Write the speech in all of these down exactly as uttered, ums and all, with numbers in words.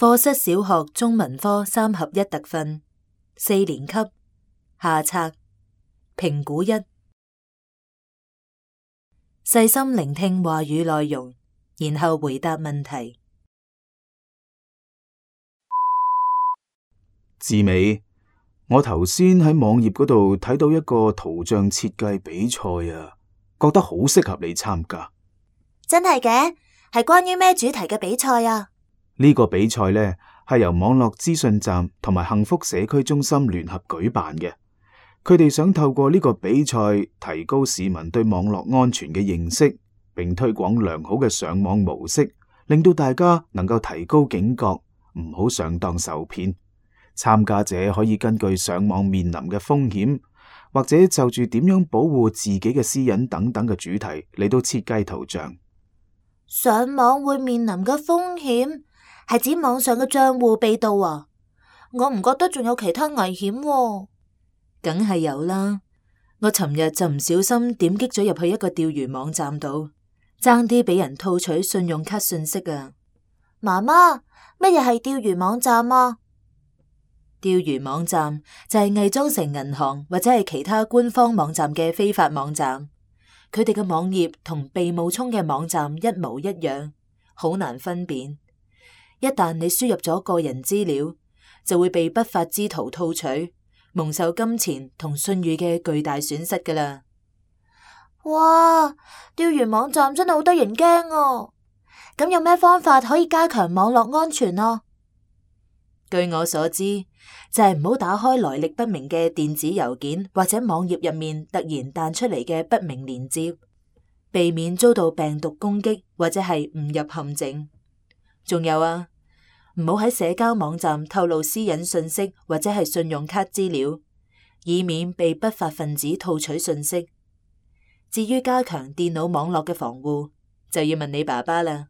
課室小學中文科三合一特訓，四年級下冊評估一，細心聆聽話語內容，然後回答問題。志美，我頭先喺網頁嗰度睇到一個圖像設計比賽啊，覺得好適合你參加。真係嘅？係關於咩主題嘅比賽啊？呢個比賽呢，係由網絡資訊站同埋幸福社區中心聯合舉辦嘅。佢哋想透過呢個比賽提高市民對網絡安全嘅認識，並推廣良好嘅上網模式，令到大家能夠提高警覺，唔好上當受騙。參加者可以根據上網面臨嘅風險，或者就住點樣保護自己嘅私隱等等嘅主題嚟到設計圖像。上網會面臨嘅風險係指網上嘅賬戶被盜啊？我唔覺得仲有其他危險喎。梗係有啦，我尋日就唔小心點擊咗入去一個釣魚網站度，爭啲俾人套取信用卡信息啊！媽媽，乜嘢係釣魚網站啊？釣魚網站就係偽裝成銀行或者係其他官方網站嘅非法網站，佢哋嘅網頁同被冒充嘅網站一模一樣，好難分辨。一旦你輸入咗個人資料，就會被不法之徒套取，蒙受金錢同信譽嘅巨大損失㗎喇。哇！釣魚網站真係好得人驚啊！咁有咩方法可以加強網絡安全啊？據我所知，就係唔好打開來歷不明嘅電子郵件或者網頁入面突然彈出嚟嘅不明鏈接，避免遭到病毒攻擊或者係誤入陷阱。仲有啊，唔好喺社交網站透露私隱信息或者係信用卡資料，以免被不法分子套取信息。至於加強電腦網絡嘅防護，就要問你爸爸啦。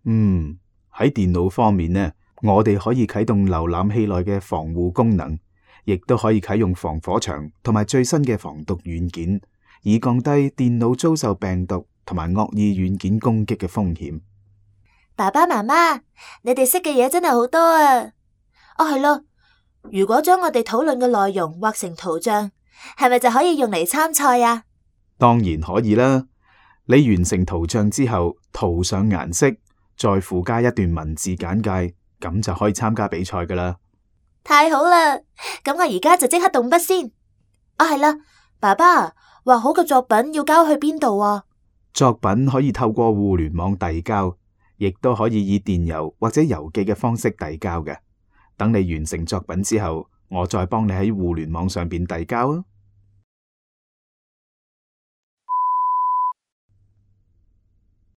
嗯，喺電腦方面呢，我哋可以啟動瀏覽器內嘅防護功能，亦都可以啟用防火牆同埋最新嘅防毒軟件，以降低電腦遭受病毒同埋惡意軟件攻擊嘅風險。爸爸媽媽，你哋識嘅嘢真係好多啊！哦，係咯，如果將我哋討論嘅內容畫成圖像，係咪就可以用嚟參賽啊？當然可以啦！你完成圖像之後，塗上顏色，再附加一段文字簡介，咁就可以參加比賽噶啦。太好啦！咁我而家就即刻動筆先。啊，係啦，爸爸，畫好嘅作品要交去邊度啊？作品可以透過互聯網遞交，亦都可以以電郵或者郵寄嘅方式遞交嘅。等你完成作品之後，我再幫你喺互聯網上邊遞交啊。